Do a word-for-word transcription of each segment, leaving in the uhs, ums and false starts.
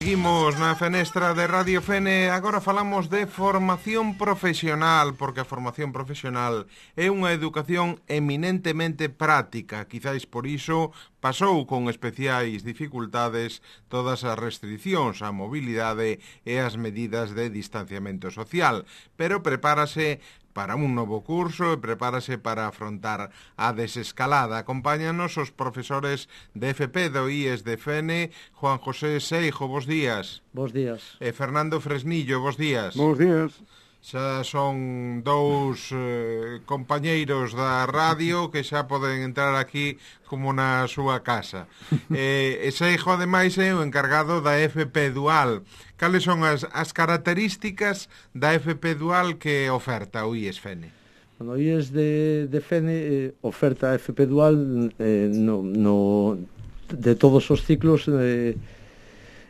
Seguimos na fenestra de Radio Fene. Agora falamos de formación profesional, porque a formación profesional é unha educación eminentemente práctica. Quizáis por iso pasou con especiais dificultades todas as restricións á mobilidade e as medidas de distanciamento social, pero prepárase para un novo curso e prepárase para afrontar a desescalada. Acompáñanos os profesores de F P do I E S de Fene, Juan José Seijo, bos días. Bos días. E Fernando Fresnillo, bos días. Bos días. Xa son dous eh, compañeiros da radio que xa poden entrar aquí como na súa casa. eh, e Seijo, ademais, é o encargado da F P Dual. Cales son as, as características da F P Dual que oferta o I E S Fene? Bueno, o I E S de, de Fene eh, oferta a F P Dual eh, no, no, de todos os ciclos eh,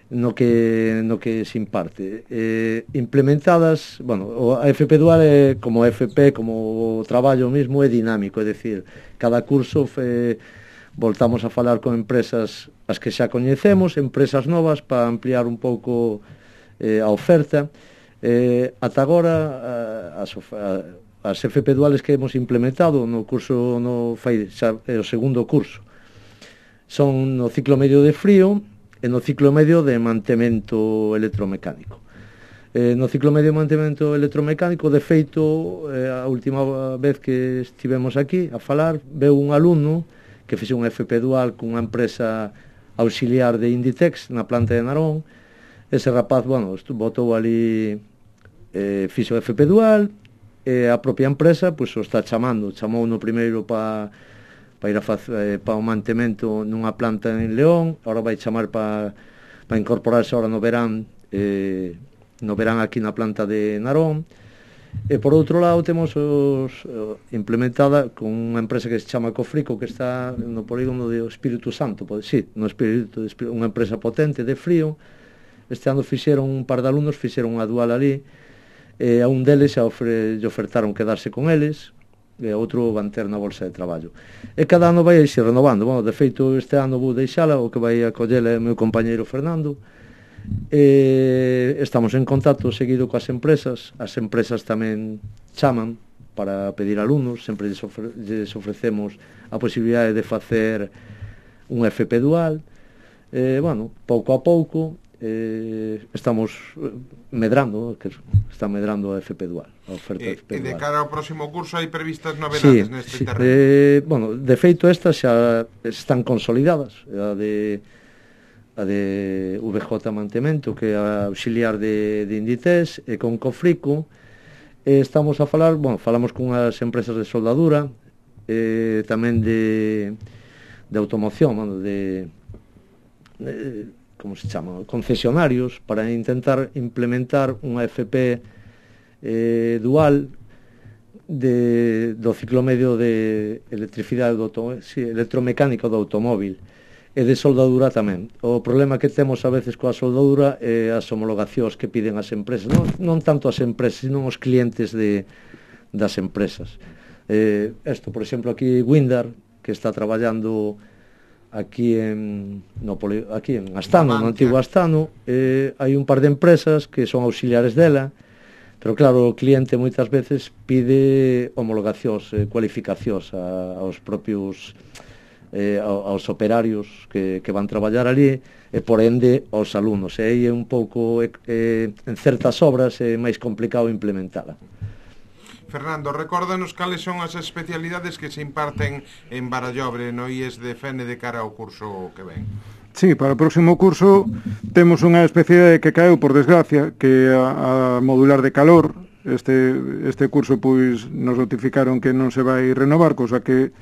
no que no que se imparte. Eh, implementadas, bueno, a F P Dual é como F P, como o traballo mesmo é dinámico, é dicir, cada curso fe, voltamos a falar con empresas as que xa coñecemos, empresas novas para ampliar un pouco eh, a oferta. Eh, ata agora as, as F P Duales que hemos implementado no curso no fai xa é o segundo curso. Son no ciclo medio de frío e no ciclo medio de mantemento electromecánico. Eh, no ciclo medio de mantemento electromecánico, de feito, eh, a última vez que estivemos aquí a falar, veu un alumno que fixe un F P Dual cunha empresa auxiliar de Inditex na planta de Narón. Ese rapaz, bueno, botou ali, eh, fixe o F P Dual, e a propia empresa, pois, o está chamando, chamou no primeiro para para ir a facer, eh, para o mantemento nunha planta en León, agora vai chamar para para incorporarse agora no verán, eh, no verán aquí na planta de Narón. E por outro lado temos os, uh, implementada con unha empresa que se chama Cofrico, que está no polígono de Espírito Santo, pode, sí, no Espírito, unha empresa potente de frío. Este ano fixeron un par de alumnos, fixeron unha dual ali, e a un deles xa ofre, ofertaron quedarse con eles, e outro van ter na bolsa de traballo. E cada ano vai se renovando. Bueno, de feito, este ano vou deixala, o que vai a collele é o meu compañeiro Fernando. E estamos en contacto seguido coas empresas. As empresas tamén chaman para pedir alumnos, sempre lles, ofre, lles ofrecemos a posibilidade de facer un F P Dual. E, bueno, pouco a pouco eh, estamos medrando, que está medrando a F P Dual, a oferta e, F P Dual. E de cara ao próximo curso hai previstas novedades sí, neste sí. terreno? Eh, bueno, de feito estas xa están consolidadas, a de a de V J Mantemento, que é a auxiliar de, de Inditex, e con Cofrico eh, estamos a falar, bueno, falamos con as empresas de soldadura, eh, tamén de de automoción, bueno, de, de como se chama, concesionarios, para intentar implementar unha F P eh, dual de, do ciclo medio de electricidade do automóvil, sí, electromecánico do automóvil, e de soldadura tamén. O problema que temos a veces coa soldadura é as homologacións que piden as empresas, non, non tanto as empresas, sino os clientes de, das empresas. Eh, esto, por exemplo, aquí Windar, que está traballando aquí en no poli, aquí en Astano, no antigo Astano, eh, hai un par de empresas que son auxiliares dela, pero claro, o cliente moitas veces pide homologacións, eh, cualificacións a, aos propios eh, aos operarios que, que van traballar ali, e por ende aos alumnos, e aí é un pouco eh, en certas obras é máis complicado implementala. Fernando, recórdanos cales son as especialidades que se imparten en Barallobre no I E S de Fene de cara ao curso que ven. Sí, para o próximo curso temos unha especialidade que caeu, por desgracia, que a, a modular de calor. Este, este curso, pois, nos notificaron que non se vai renovar, cosa que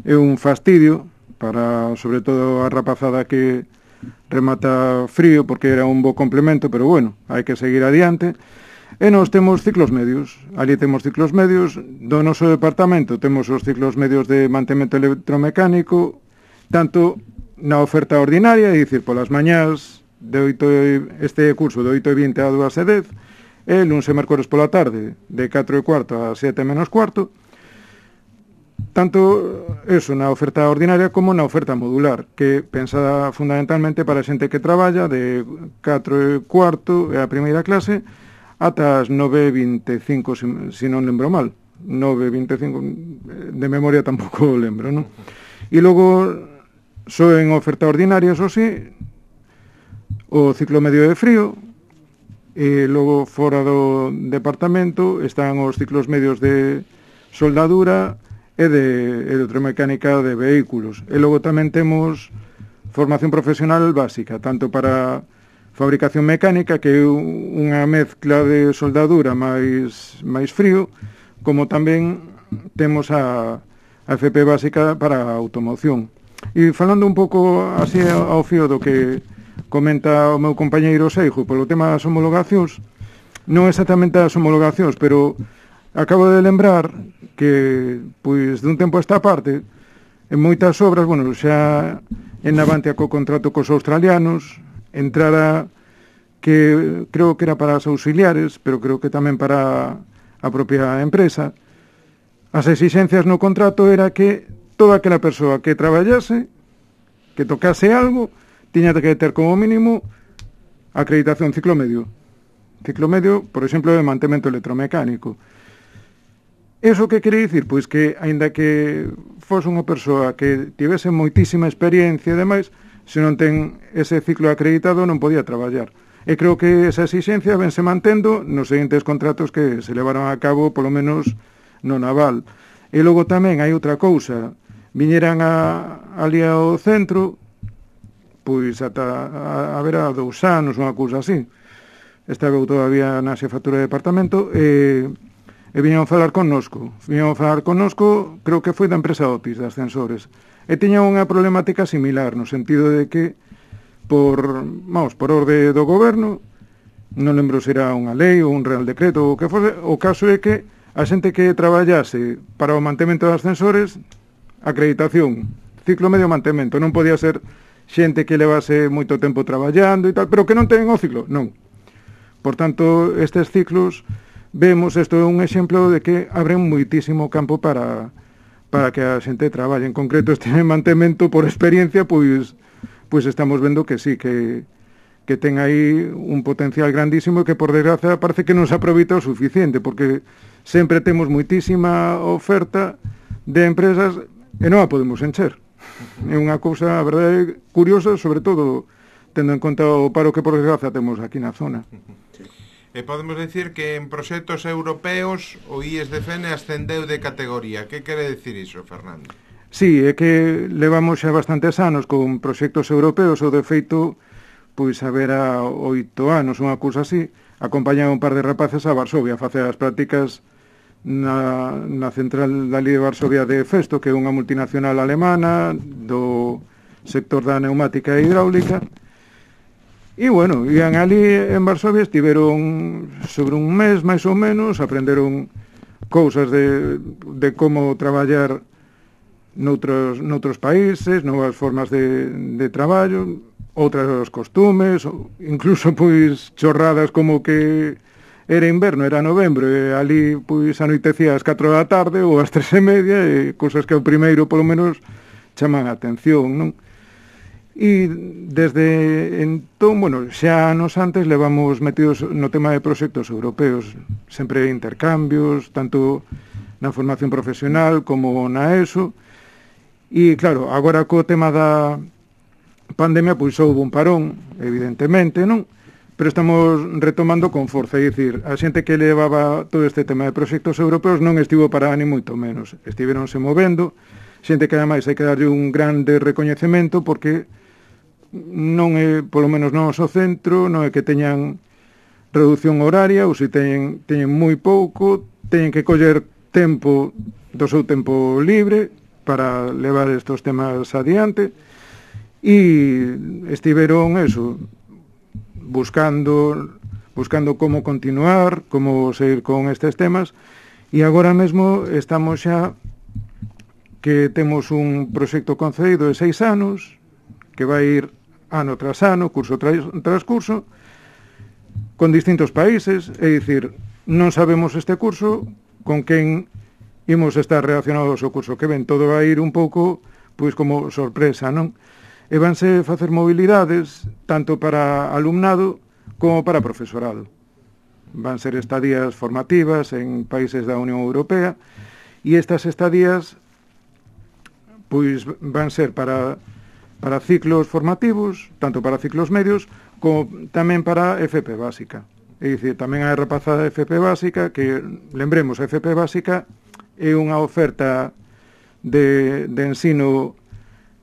é un fastidio para, sobre todo, a rapazada que remata frío, porque era un bo complemento, pero bueno, hai que seguir adiante. E nos temos ciclos medios, ali temos ciclos medios, do noso departamento temos os ciclos medios de mantemento electromecánico, tanto na oferta ordinaria, é dicir, polas mañás, de oito, este curso de oito e vinte a dúas e dez, e luns e mércores pola tarde, de catro e cuarto a sete menos cuarto. tanto eso na oferta ordinaria como na oferta modular, que pensada fundamentalmente para a xente que traballa de catro e cuarto e a primeira clase ata as nove e vinte e cinco, se, se non lembro mal. nove e vinte e cinco, de memoria tampouco lembro, non? E logo, só en oferta ordinaria, eso sí, o ciclo medio de frío, e logo fora do departamento están os ciclos medios de soldadura e de electromecánica de vehículos. E logo tamén temos formación profesional básica, tanto para fabricación mecánica, que é unha mezcla de soldadura máis, máis frío, como tamén temos a, a F P básica para a automoción. E falando un pouco así ao fío do que comenta o meu compañeiro Seijo polo tema das homologacións, non exactamente as homologacións, pero acabo de lembrar que, pois, dun tempo a esta parte, en moitas obras, bueno, xa en Navantia co contrato cos australianos, entrara que creo que era para as auxiliares, pero creo que tamén para a propia empresa, as exixencias no contrato era que toda aquela persoa que traballase, que tocase algo, tiña que ter como mínimo acreditación ciclo medio. Ciclo medio, por exemplo, de mantemento electromecánico. Eso que quere dicir? Pois que, aínda que fose unha persoa que tivese moitísima experiencia e demais, se non ten ese ciclo acreditado non podía traballar. E creo que esa exigencia vense mantendo nos seguintes contratos que se levaron a cabo, polo menos no naval. E logo tamén hai outra cousa, viñeran a, ali ao centro, pois ata a, a ver a dous anos, unha cousa así. Estaba eu todavía na xefatura de departamento e... e viñeron falar connosco, viñeron falar connosco, creo que foi da empresa Otis, de ascensores, e tiña unha problemática similar, no sentido de que, por, vamos, por orde do goberno, non lembro se era unha lei ou un real decreto, ou que fose, o caso é que a xente que traballase para o mantemento de ascensores, acreditación, ciclo medio mantemento, non podía ser xente que levase moito tempo traballando e tal, pero que non ten o ciclo, non. Por tanto, estes ciclos, vemos, isto é un exemplo de que abren moitísimo campo para, para que a xente traballe. En concreto, este mantemento por experiencia, pois, pois estamos vendo que sí, que, que ten aí un potencial grandísimo que, por desgracia, parece que non se aproveita o suficiente, porque sempre temos moitísima oferta de empresas e non a podemos encher. É unha cousa, a verdade, curiosa, sobre todo tendo en conta o paro que, por desgracia, temos aquí na zona. E podemos decir que en proxectos europeos o I E S D F N ascendeu de categoría. Que quere decir iso, Fernando? Sí, é que levamos xa bastantes anos con proxectos europeos, ou de feito, pois a ver a oito anos, unha cousa así, acompañaba un par de rapaces a Varsovia a facer as prácticas na, na central dali de Varsovia de Festo, que é unha multinacional alemana do sector da neumática e hidráulica. E, bueno, ian ali en Varsovia, estiveron sobre un mes, máis ou menos, aprenderon cousas de, de como traballar noutros, noutros países, novas formas de, de traballo, outras costumes, incluso, pois, chorradas como que era inverno, era novembro, e ali, pois, anoitecía ás catro da tarde ou ás tres e media, e cousas que ao primeiro, polo menos, chaman a atención, non? E desde entón, bueno, xa anos antes levamos metidos no tema de proxectos europeos, sempre intercambios, tanto na formación profesional como na ESO, e claro, agora co tema da pandemia, pois houve un parón, evidentemente, non? Pero estamos retomando con forza, é dicir, a xente que levaba todo este tema de proxectos europeos non estivo parada ni moito menos, estiveronse movendo, xente que ademais hai que darlle un grande recoñecemento porque non é, polo menos non o centro, non é que teñan reducción horaria, ou se teñen, teñen moi pouco, teñen que coller tempo do seu tempo libre para levar estos temas adiante, e estiveron eso, buscando buscando como continuar, como seguir con estes temas, e agora mesmo estamos xa que temos un proxecto concedido de seis anos, que vai ir ano tras ano, curso tras, tras curso, con distintos países, é dicir, non sabemos este curso con quen imos estar reaccionados ao curso que ven. Todo vai ir un pouco, pois, como sorpresa, non? E vanse facer mobilidades tanto para alumnado como para profesorado. Van ser estadías formativas en países da Unión Europea e estas estadías pois van ser para, para ciclos formativos, tanto para ciclos medios como tamén para F P básica. É dicir, tamén hai rapazada de F P básica que, lembremos, a F P básica é unha oferta de, de ensino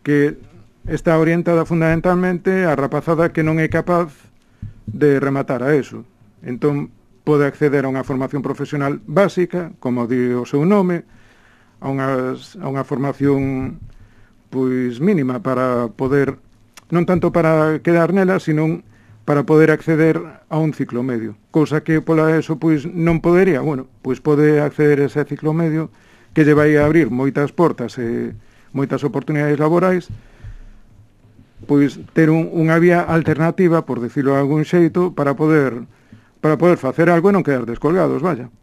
que está orientada fundamentalmente a rapazada que non é capaz de rematar a eso. Entón, pode acceder a unha formación profesional básica, como di o seu nome, a, unhas, a unha formación pois mínima para poder, non tanto para quedar nela, sino para poder acceder a un ciclo medio. Cousa que pola eso pois non podería. Bueno, pois pode acceder a ese ciclo medio que lle vai a abrir moitas portas e moitas oportunidades laborais, pois ter un, unha vía alternativa, por decirlo de algún xeito, para poder para poder facer algo e non quedar descolgados, vaya.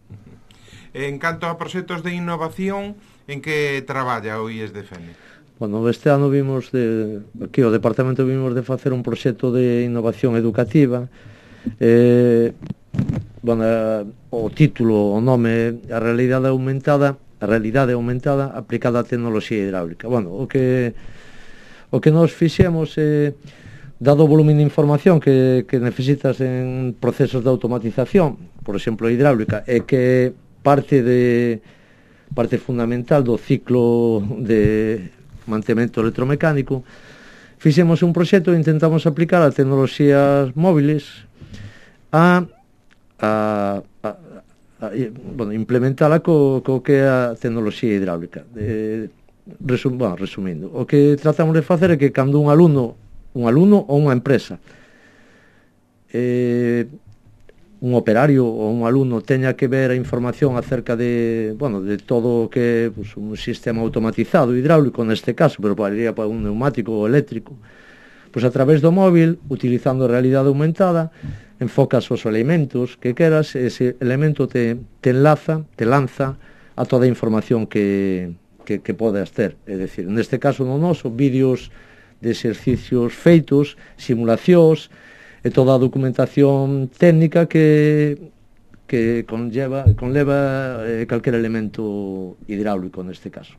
En canto a proxectos de innovación, en que traballa o I E S D F N? Bueno, este ano vimos de, aquí o departamento vimos de facer un proxecto de innovación educativa. Eh, bueno, o título, o nome, a realidade aumentada, a realidade aumentada aplicada á tecnoloxía hidráulica. Bueno, o que o que nos fixemos é, dado o volumen de información que, que necesitas en procesos de automatización, por exemplo, hidráulica, é que parte de parte fundamental do ciclo de mantemento electromecánico, fixemos un proxecto e intentamos aplicar a tecnoloxías móviles a, a, a, a bueno, implementala co, co que é a tecnoloxía hidráulica. De, resum, bueno, resumindo, o que tratamos de facer é que cando un alumno un alumno ou unha empresa eh, un operario ou un alumno teña que ver a información acerca de, bueno, de todo o que é pues, un sistema automatizado hidráulico neste caso, pero podría para un neumático ou eléctrico, pois a través do móvil, utilizando a realidade aumentada, enfocas os elementos que queras, ese elemento te, te enlaza, te lanza a toda a información que, que, que podes ter. É dicir, neste caso no noso, vídeos de exercicios feitos, simulacións, e toda a documentación técnica que, que conlleva, conleva eh, calquer elemento hidráulico neste caso.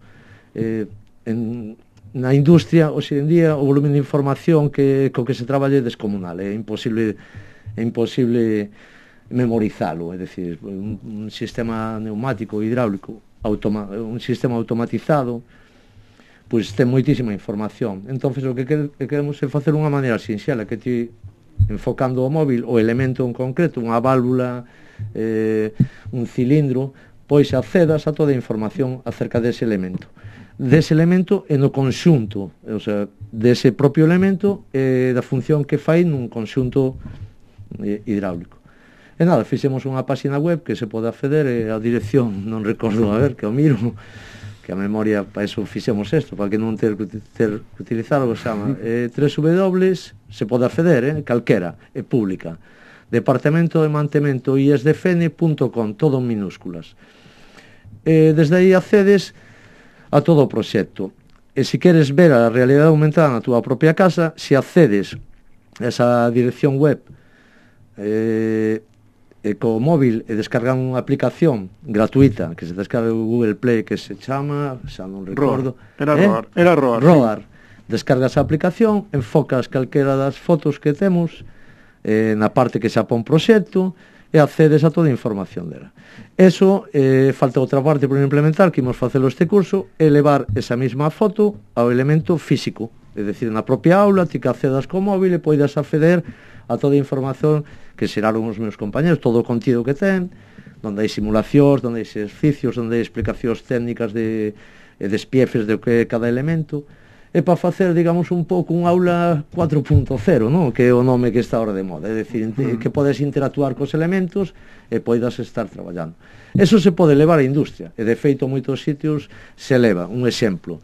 Eh, en, na industria, hoxe en día, o volumen de información que, co que se traballe é descomunal, é imposible, é imposible memorizalo, é dicir, un, un sistema neumático hidráulico, automa, un sistema automatizado, pois ten moitísima información. Entonces o que queremos é facer unha maneira sinxela, que ti, enfocando o móvil o elemento en concreto, unha válvula, eh, un cilindro, pois accedas a toda a información acerca dese elemento. Dese elemento e no conxunto, o sea, dese propio elemento e da función que fai nun conxunto eh, hidráulico. E nada, fixemos unha página web que se pode acceder, e a dirección non recordo, a ver, que o miro, que a memoria, para eso fixemos isto, para que non ter que ter que utilizar o que se chama eh, tres w, se pode acceder, eh, calquera, é pública, Departamento de Mantemento I E S D F N punto com, todo en minúsculas. Eh, desde aí accedes a todo o proxecto. E se queres ver a realidade aumentada na túa propia casa, se accedes a esa dirección web eh, e co móvil e descargan unha aplicación gratuita que se descarga o Google Play, que se chama, xa non recordo, Era eh? Roar, era Roar. Roar. Sí. Descargas a aplicación, enfocas calquera das fotos que temos eh, na parte que xa pon proxecto e accedes a toda a información dela. Eso, eh, falta outra parte por implementar, que imos facelo este curso, é levar esa mesma foto ao elemento físico, é dicir, na propia aula, ti que accedas co móvil e poidas acceder a toda a información que xeraron os meus compañeros, todo o contido que ten, onde hai simulacións, onde hai exercicios, onde hai explicacións técnicas de, de despiefes de o que é cada elemento, e para facer, digamos, un pouco un aula cuatro punto cero, non? Que é o nome que está ahora de moda, é dicir, uh-huh. que podes interactuar cos elementos e poidas estar traballando. Eso se pode levar á industria, e de feito moitos sitios se leva. Un exemplo,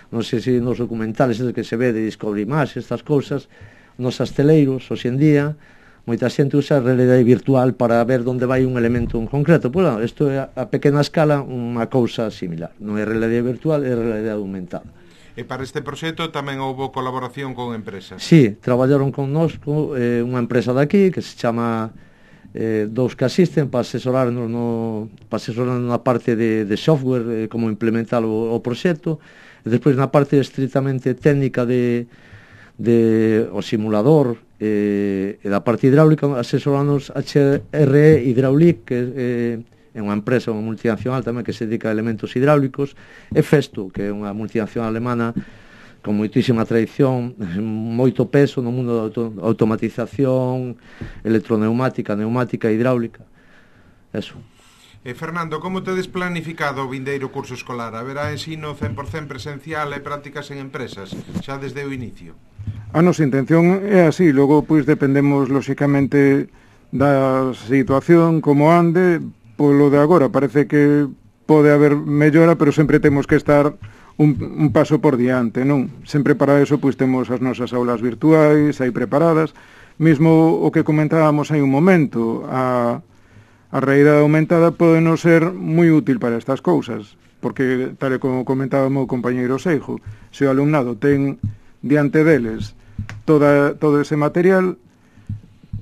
non sei se nos documentales que se ve de Discovery Más, estas cousas, nos asteleiros, hoxe en día, moita xente usa a realidade virtual para ver onde vai un elemento en concreto. Pois non, isto é a pequena escala unha cousa similar. Non é realidade virtual, é realidade aumentada. E para este proxecto tamén houve colaboración con empresas? Sí, traballaron con nos eh, unha empresa daqui que se chama eh, Dous que Asisten para asesorarnos no, para asesorarnos na parte de, de software, eh, como implementar o, o proxecto, e despois na parte estritamente técnica de, de o simulador eh, e da parte hidráulica asesorarnos H R E Hydraulic, que eh, é unha empresa, unha multinacional tamén que se dedica a elementos hidráulicos, e Festo, que é unha multinacional alemana con moitísima tradición, moito peso no mundo da auto automatización, electroneumática, neumática, hidráulica. Eso. E Fernando, como tedes planificado o vindeiro curso escolar? Haberá ensino cen por cen presencial e prácticas en empresas, xa desde o inicio? A nosa intención é así, logo pois dependemos lóxicamente da situación, como ande. Polo de agora parece que pode haber mellora, pero sempre temos que estar un, un paso por diante, non? Sempre para eso pois temos as nosas aulas virtuais aí preparadas. Mismo o que comentábamos hai un momento, a, a realidade aumentada pode non ser moi útil para estas cousas, porque tal e como comentaba o meu compañeiro Seijo, se o alumnado ten diante deles toda, todo ese material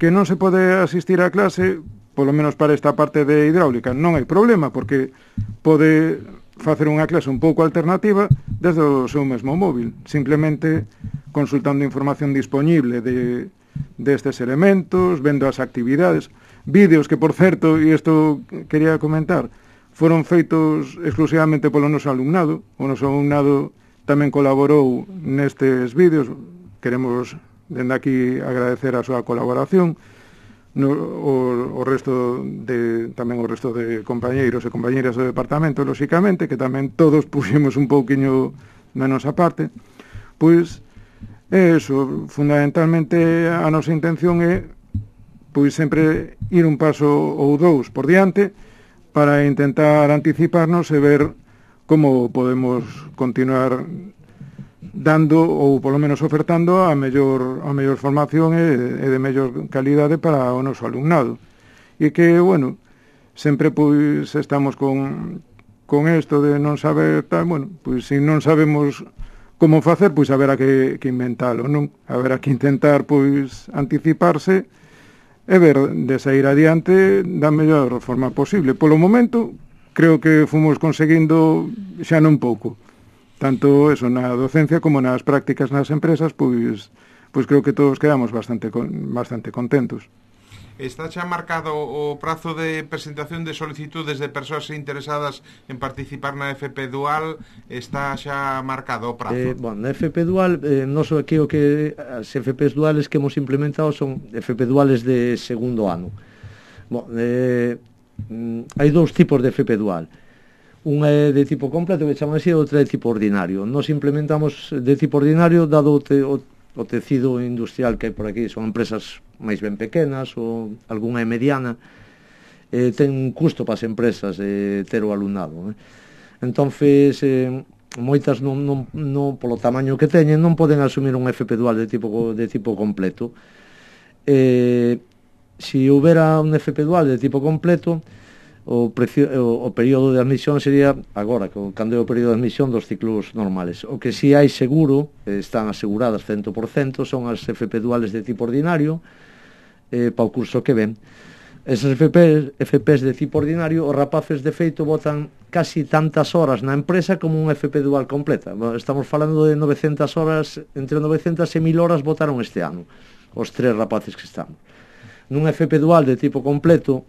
que non se pode asistir á clase, polo menos para esta parte de hidráulica, non hai problema, porque pode facer unha clase un pouco alternativa desde o seu mesmo móvil, simplemente consultando información disponible de destes elementos, vendo as actividades, vídeos que, por certo, e isto quería comentar, foron feitos exclusivamente polo noso alumnado. O noso alumnado tamén colaborou nestes vídeos, queremos dende aquí agradecer a súa colaboración. No, o, o resto de tamén o resto de compañeiros e compañeiras do departamento, lóxicamente, que tamén todos puxemos un pouquiño menos aparte. Pois é eso, fundamentalmente a nosa intención é pois sempre ir un paso ou dous por diante para intentar anticiparnos e ver como podemos continuar dando ou polo menos ofertando a mellor a mellor formación e, e de mellor calidade para o noso alumnado. E que, bueno, sempre pois estamos con con isto de non saber tal, bueno, pois se non sabemos como facer, pois haberá que, que inventalo, non? Haberá que intentar pois anticiparse e ver de sair adiante da mellor forma posible. Polo momento, creo que fomos conseguindo xa non pouco. Tanto eso na docencia como nas prácticas nas empresas, pois pois creo que todos quedamos bastante con, bastante contentos. Está xa marcado o prazo de presentación de solicitudes de persoas interesadas en participar na F P Dual, está xa marcado o prazo? Eh, bueno, na F P Dual, eh, non so aquí o que as F Ps duales que hemos implementado son F P duales de segundo ano. Bueno, eh, hai dous tipos de F P Dual. Unha é de tipo completo, que chaman así, e outra é de tipo ordinario. Nos implementamos de tipo ordinario, dado o, te, o, o tecido industrial que hai por aquí, son empresas máis ben pequenas ou algunha é mediana, eh, ten un custo para as empresas eh, ter o alumnado. Eh. Entonces, eh, moitas non, non, non, polo tamaño que teñen, non poden asumir un F P dual de tipo, de tipo completo. Eh, si houbera un F P dual de tipo completo, O, precio, o, o período de admisión sería agora, cando é o período de admisión dos ciclos normales. O que si hai seguro, están aseguradas cento por cento, son as F P duales de tipo ordinario eh, para o curso que ven. Esas F P, F Ps de tipo ordinario, os rapaces de feito botan casi tantas horas na empresa como un F P dual completa. Estamos falando de novecentas horas, entre novecentas e mil horas botaron este ano, os tres rapaces que estamos. Nun F P dual de tipo completo,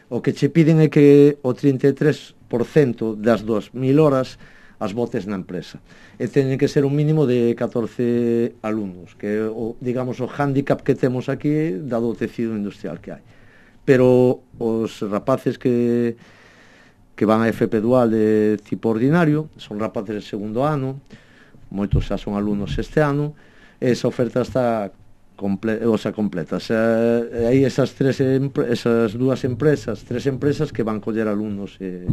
o que che piden é que o trinta e tres por cento das dos mil horas as botes na empresa. E teñen que ser un mínimo de catorce alumnos, que é o, digamos, o hándicap que temos aquí dado o tecido industrial que hai. Pero os rapaces que, que van a F P dual de tipo ordinario son rapaces de segundo ano, moitos xa son alumnos este ano, e esa oferta está Comple o sea, completa. O sea, hai esas tres esas dúas empresas, tres empresas que van coller alumnos e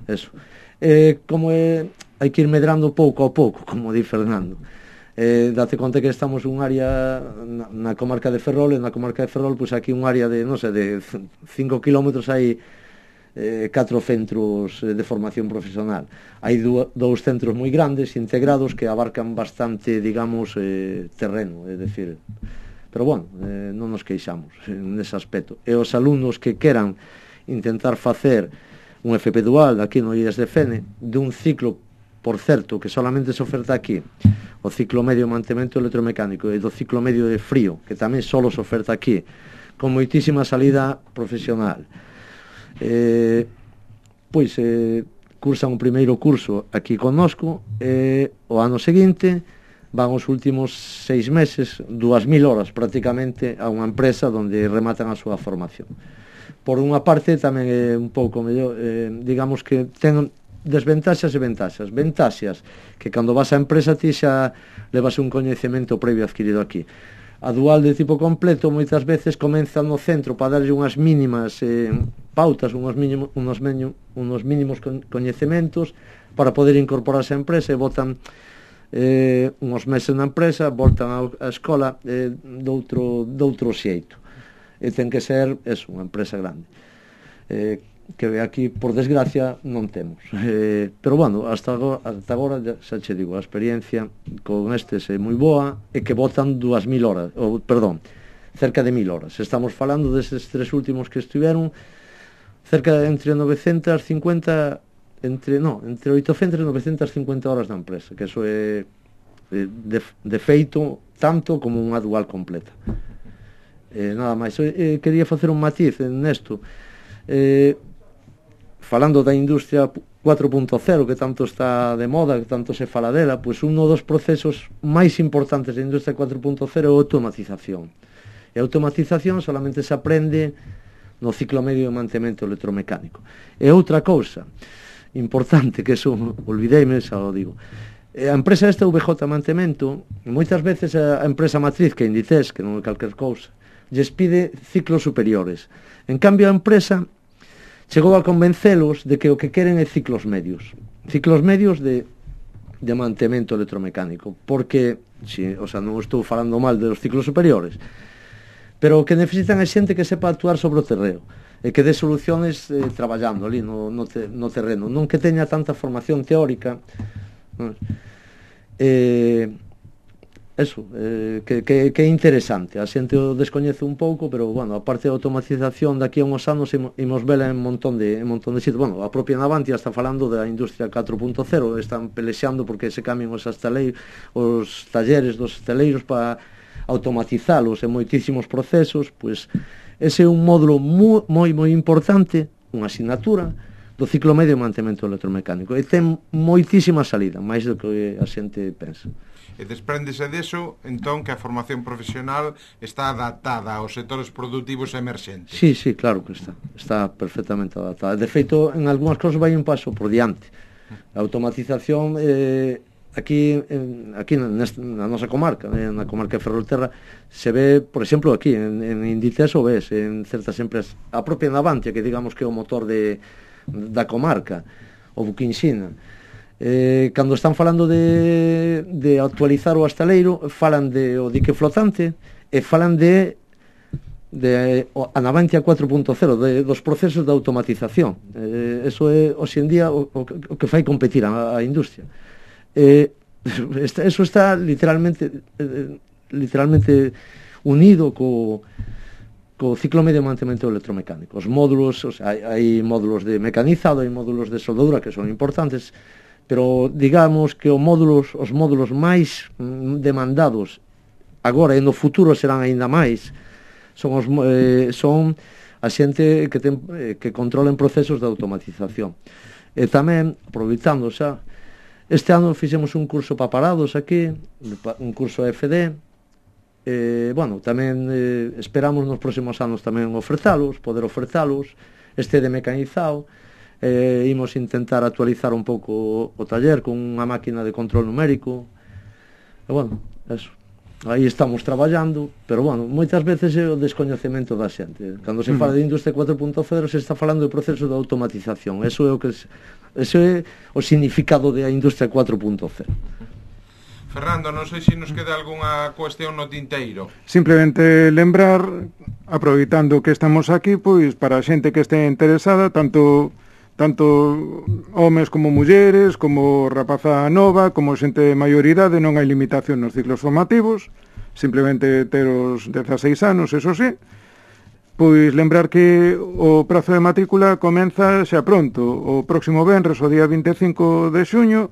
eso. Eh, como é, hai que ir medrando pouco a pouco, como di Fernando. Eh, date conta que estamos un área na, na comarca de Ferrol, e na comarca de Ferrol, pois aquí un área de, non sei, de cinco kilómetros hai eh, catro centros de formación profesional. Hai dous centros moi grandes, integrados, que abarcan bastante, digamos, eh, terreno, é dicir, pero bueno, eh, non nos queixamos nese aspecto. E os alumnos que queran intentar facer un F P dual aquí no I E S de Fene, dun ciclo, por certo, que solamente se oferta aquí, o ciclo medio de mantemento electromecánico, e do ciclo medio de frío, que tamén solo se oferta aquí, con moitísima salida profesional. Eh, pois eh, cursan o primeiro curso aquí connosco, e o ano seguinte van os últimos seis meses, dúas mil horas prácticamente, a unha empresa onde rematan a súa formación. Por unha parte tamén é un pouco mellor, eh, digamos que ten desventaxas e ventaxas. Ventaxas que cando vas á empresa ti xa levas un coñecemento previo adquirido aquí. A dual de tipo completo moitas veces comeza no centro para darlle unhas mínimas eh, pautas, unhos mínimos, unos, meño, unos mínimos coñecementos para poder incorporarse á empresa, e botan eh, uns meses na empresa, voltan á escola eh, doutro, doutro xeito. E ten que ser, eso, unha empresa grande. Eh, que aquí, por desgracia, non temos. Eh, pero, bueno, hasta agora, hasta agora xa che digo, a experiencia con estes é moi boa, e que botan dúas mil horas, ou, perdón, cerca de mil horas. Estamos falando deses tres últimos que estiveron, cerca de entre novecentas cincuenta, entre, no, entre oitocentas e novecentas cincuenta horas na empresa, que eso é de, de feito tanto como unha dual completa. Eh, nada máis, eh, quería facer un matiz nesto. Eh, falando da industria cuatro punto cero, que tanto está de moda, que tanto se fala dela, pois un dos procesos máis importantes da industria cuatro punto cero é a automatización. E a automatización solamente se aprende no ciclo medio de mantemento electromecánico. E outra cousa importante, que eso olvideime, xa o digo, a empresa esta V J Mantemento, moitas veces a empresa matriz, que é Inditex, que non é calquer cousa, lles pide ciclos superiores. En cambio, a empresa chegou a convencelos de que o que queren é ciclos medios. Ciclos medios de, de mantemento electromecánico. Porque, si, o sea, non estou falando mal de los ciclos superiores, pero o que necesitan é xente que sepa actuar sobre o terreo, e que dé soluciones eh, traballando ali no, no, te, no terreno. Non que teña tanta formación teórica. Non? Eh... Eso, eh, que, que, que é interesante. A xente o descoñece un pouco, pero, bueno, a parte da automatización daqui a uns anos imos vela en montón de, en montón de sitios. Bueno, a propia Navantia está falando da industria catro punto cero, están pelexando porque se cambien os, astaleiros, os talleres dos estaleiros para automatizalos en moitísimos procesos. Pois ese é un módulo moi, moi, moi importante, unha asignatura do ciclo medio de mantemento electromecánico, e ten moitísima salida, máis do que a xente pensa. E despréndese deso, entón, que a formación profesional está adaptada aos sectores productivos emerxentes. Sí, sí, claro que está. Está perfectamente adaptada. De feito, en algunhas cosas vai un paso por diante. A automatización, eh, aquí, en, aquí nesta, na nosa comarca, eh, na comarca de Ferrolterra, se ve, por exemplo, aquí, en, en Inditex o ves, en certas empresas, a propia Navantia, que digamos que é o motor de, da comarca, o Buquinxina, Eh, cando están falando de, de actualizar o astaleiro, falan de o dique flotante e falan de, de o, a Navantia cuatro punto cero, de, dos procesos de automatización. Eh, eso é, hoxe en día, o, o, o que fai competir a, a industria. Eh, eso está literalmente eh, literalmente unido co co ciclo medio de mantemento electromecánico. Os módulos, o sea, hai, hai módulos de mecanizado, hai módulos de soldadura que son importantes, pero digamos que os módulos, os módulos máis demandados agora e no futuro serán aínda máis, son os eh, son a xente que ten eh, que controlen procesos de automatización. E tamén, aproveitando xa, este ano fixemos un curso para parados aquí, un curso F D. Eh, bueno, tamén eh, esperamos nos próximos anos tamén ofertalos, poder ofertalos, este de mecanizado. Eh, imos intentar actualizar un pouco o taller con unha máquina de control numérico, e bueno, eso, aí estamos traballando, pero bueno, moitas veces é o descoñecemento da xente. Cando se fala de industria cuatro punto cero se está falando do proceso de automatización, eso é o que eso é o significado da industria cuatro punto cero. Fernando, non sei se nos queda algunha cuestión no tinteiro. Simplemente lembrar, aproveitando que estamos aquí, pois para a xente que este interesada, tanto tanto homes como mulleres, como rapaza nova, como xente de maioridade, non hai limitación nos ciclos formativos, simplemente ter os dezaseis anos, eso sí. Pois lembrar que o prazo de matrícula comeza xa pronto, o próximo venres, o día vinte e cinco de xuño,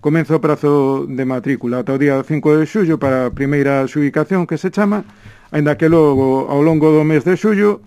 comeza o prazo de matrícula ata o día cinco de xullo para a primeira xubicación que se chama, aínda que logo ao longo do mes de xullo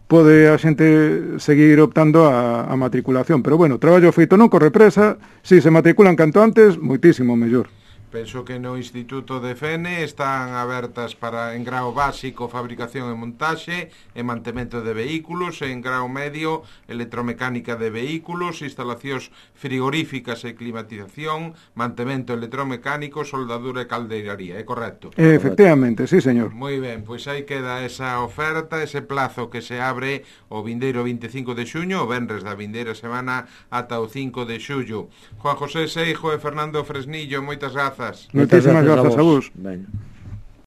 pode a xente seguir optando a, a matriculación. Pero bueno, traballo feito non corre presa, si se matriculan canto antes, moitísimo mellor. Penso que no Instituto de Fene están abertas para en grao básico fabricación e montaxe e mantemento de vehículos, en grao medio electromecánica de vehículos, instalacións frigoríficas e climatización, mantemento electromecánico, soldadura e caldeiraría, é correcto? Efectivamente, sí, señor. Moi ben, pois aí queda esa oferta, ese plazo que se abre o vindeiro vinte e cinco de xuño, o venres da vindeira semana ata o cinco de xullo. Juan José Seijo e Fernando Fresnillo, moitas grazas. Moitísimas grazas a vos. Venga.